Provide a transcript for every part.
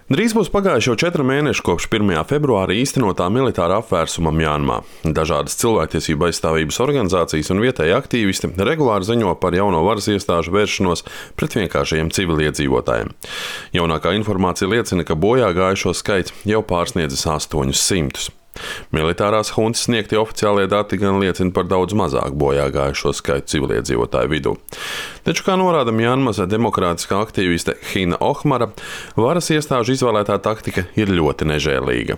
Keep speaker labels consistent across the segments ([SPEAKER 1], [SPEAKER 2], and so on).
[SPEAKER 1] Drīz būs pagājuši jau 4 mēneši kopš 1. februāra īstenotā militāra apvērsuma Mjanmā. Dažādas cilvēktiesību aizstāvības organizācijas un vietēji aktīvisti regulāri ziņo par jauno varas iestāžu vēršanos pret vienkāršajiem civiliedzīvotājiem. Jaunākā informācija liecina, ka bojā gājušo skaits jau pārsniedzis 800. Militārās huntas sniegtie oficiālie dati gan liecina par daudz mazāku bojā gājušo skaitu civiliedzīvotāju vidū. Taču, kā norāda Mjanmas demokrātiskā aktīviste Hina Ohmara, varas iestāžu izvēlētā taktika ir ļoti nežēlīga.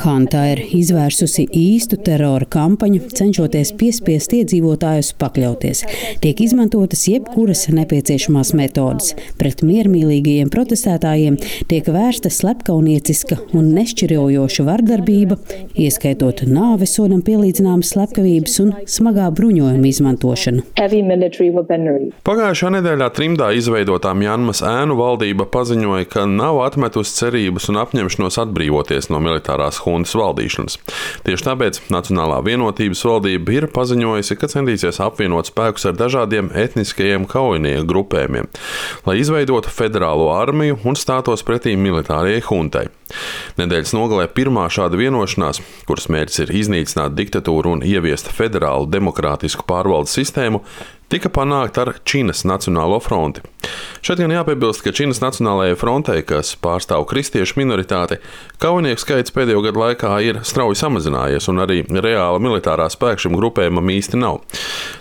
[SPEAKER 2] Hunta ir izvērsusi īstu terora kampaņu, cenšoties piespiest iedzīvotājus pakļauties. Tiek izmantotas jebkuras nepieciešamās metodes. Pret miermīlīgajiem protestētājiem tiek vērsta slepkaunieciska un nešķirojoša vardarbība, ieskaitot nāvesodam pielīdzināmas slepkavības un smagā bruņojuma izmantošanu.
[SPEAKER 1] Pagājušā nedēļā trimdā izveidotā Mjanmas ēnu valdība paziņoja, ka nav atmetusi cerības un apņemšanos atbrīvoties no militārās huntas valdīšanas. Tieši tāpēc Nacionālā vienotības valdība ir paziņojusi, ka centīsies apvienot spēkus ar dažādiem etniskajiem kaujinieku grupējumiem, lai izveidotu federālo armiju un stātos pretī militārajai huntai. Nedēļas nogalē pirmā šāda vienošanās, kuras mērķis ir iznīcināt diktatūru un ieviest federālu demokrātisku pārvaldes sistēmu, tika panākta ar Činas Nacionālo fronti. Šeit gan jāpiebilst, ka Činas Nacionālajai frontei, kas pārstāv kristiešu minoritāti, kaujinieku skaits pēdējo gadu laikā ir strauji samazinājies, un arī reāla militārā spēka šim grupējumam īsti nav.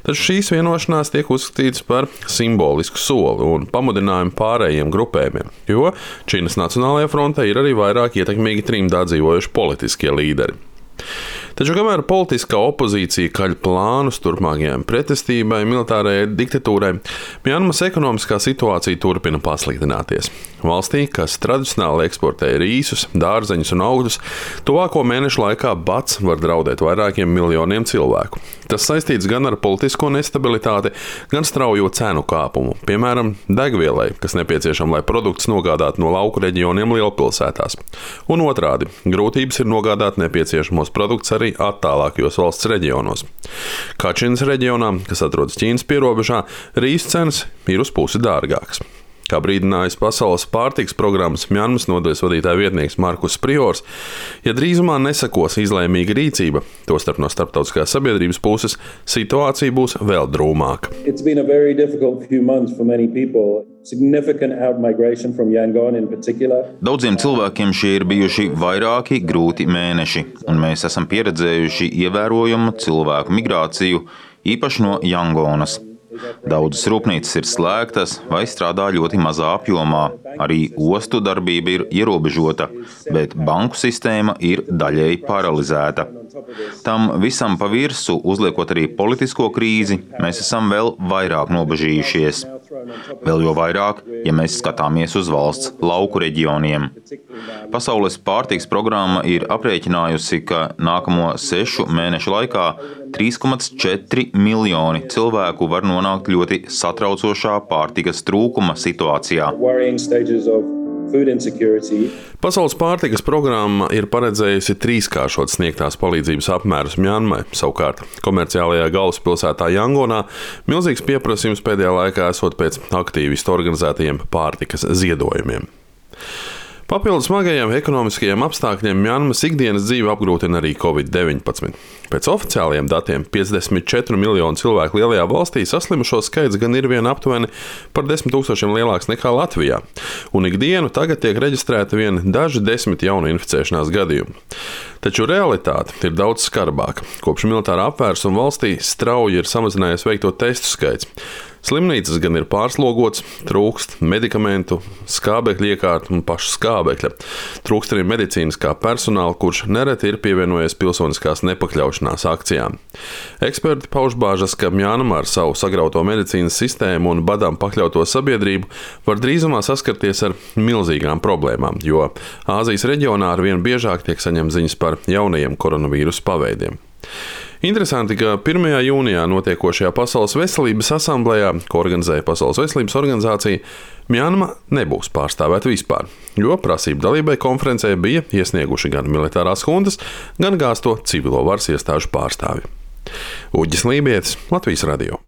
[SPEAKER 1] Taču šīs vienošanās tiek uzskatītas par simbolisku soli un pamudinājumu pārējiem grupējumiem, jo Činas Nacionālajai frontei ir arī vairāk ietekmīgi trimdā dzīvojuši politiskie līderi. Taču, kamēr politiskā opozīcija kaļ plānus turpmākajai pretestībai militārajai diktatūrai, Mjanmas ekonomiskā situācija turpina pasliktināties. Valstī, kas tradicionāli eksportē rīsus, dārzeņus un augļus, tuvāko mēnešu laikā bats var draudēt vairākiem miljoniem cilvēku. Tas saistīts gan ar politisko nestabilitāti, gan straujo cenu kāpumu, piemēram, degvielai, kas nepieciešama, lai produktus nogādātu no lauku reģioniem lielpilsētās. Un otrādi, grūtības ir nogādāt nepieciešamos produktus arī attālākajos valsts reģionos. Kačinas reģionā, kas atrodas Ķīnas pierobežā, rīsu cenas ir uz pusi dārgākas. Kā brīdinājis Pasaules pārtikas programmas Mjanmas nodaļas vadītāja vietnieks Markus Priors, ja drīzumā nesakos izlēmīga rīcība, tostarp no starptautiskās sabiedrības puses, situācija būs vēl drūmāka.
[SPEAKER 3] Daudziem cilvēkiem šie ir bijuši vairāki grūti mēneši, un mēs esam pieredzējuši ievērojumu cilvēku migrāciju, īpaši no Jangonas. Daudzas rūpnīcas ir slēgtas vai strādā ļoti mazā apjomā. Arī ostu darbība ir ierobežota, bet banku sistēma ir daļēji paralizēta. Tam visam pa virsu, uzliekot arī politisko krīzi, mēs esam vēl vairāk nobažījušies. Vēl jo vairāk, ja mēs skatāmies uz valsts lauku reģioniem. Pasaules pārtikas programma ir aprēķinājusi, ka nākamo 6 mēnešu laikā 3,4 miljoni cilvēku var nonākt ļoti satraucošā pārtikas trūkuma situācijā.
[SPEAKER 1] Pasaules pārtikas programma ir paredzējusi 3-kāršot sniegtās palīdzības apmērus Mjanmai. Savukārt, komerciālajā galvaspilsētā Jangonā milzīgs pieprasījums pēdējā laikā esot pēc aktīvistu organizētajiem pārtikas ziedojumiem. Papildus smagajiem ekonomiskajiem apstākļiem Mjanmas ikdienas dzīvi apgrūtina arī Covid-19. Pēc oficiālajiem datiem 54 miljonu cilvēku lielajā valstī saslimušo skaits gan ir vien aptuveni par 10 000 lielāks nekā Latvijā, un ikdienu tagad tiek reģistrēti vien daži 10 jaunu inficēšanās gadījumu. Taču realitāte ir daudz skarbāka. Kopš militārā apvērsuma valstī strauji ir samazinājies veikto testu skaits. Slimnīcas gan ir pārslogotas, trūkst medikamentu, skābekļa iekārtu un pašu skābekļa. Trūkst arī medicīniskā personāla, kurš nereti ir pievienojies pilsoniskās nepakļaušanās akcijām. Eksperti pauž bāžas, ka Mjanma ar savu sagrauto medicīnas sistēmu un badām pakļauto sabiedrību var drīzumā saskarties ar milzīgām problēmām, jo Āzijas reģionā arvien biežāk tiek saņemts ziņas par jaunajiem koronavīrusa paveidiem. Interesanti, ka 1. jūnijā notiekošajā Pasaules veselības asamblējā, ko organizēja Pasaules veselības organizācija, Mjanma nebūs pārstāvēta vispār, jo prasību dalībai konferencē bija iesnieguši gan militārās huntas, gan gāzto civilo varas iestāžu pārstāvji. Uģis Lībietis, Latvijas radio.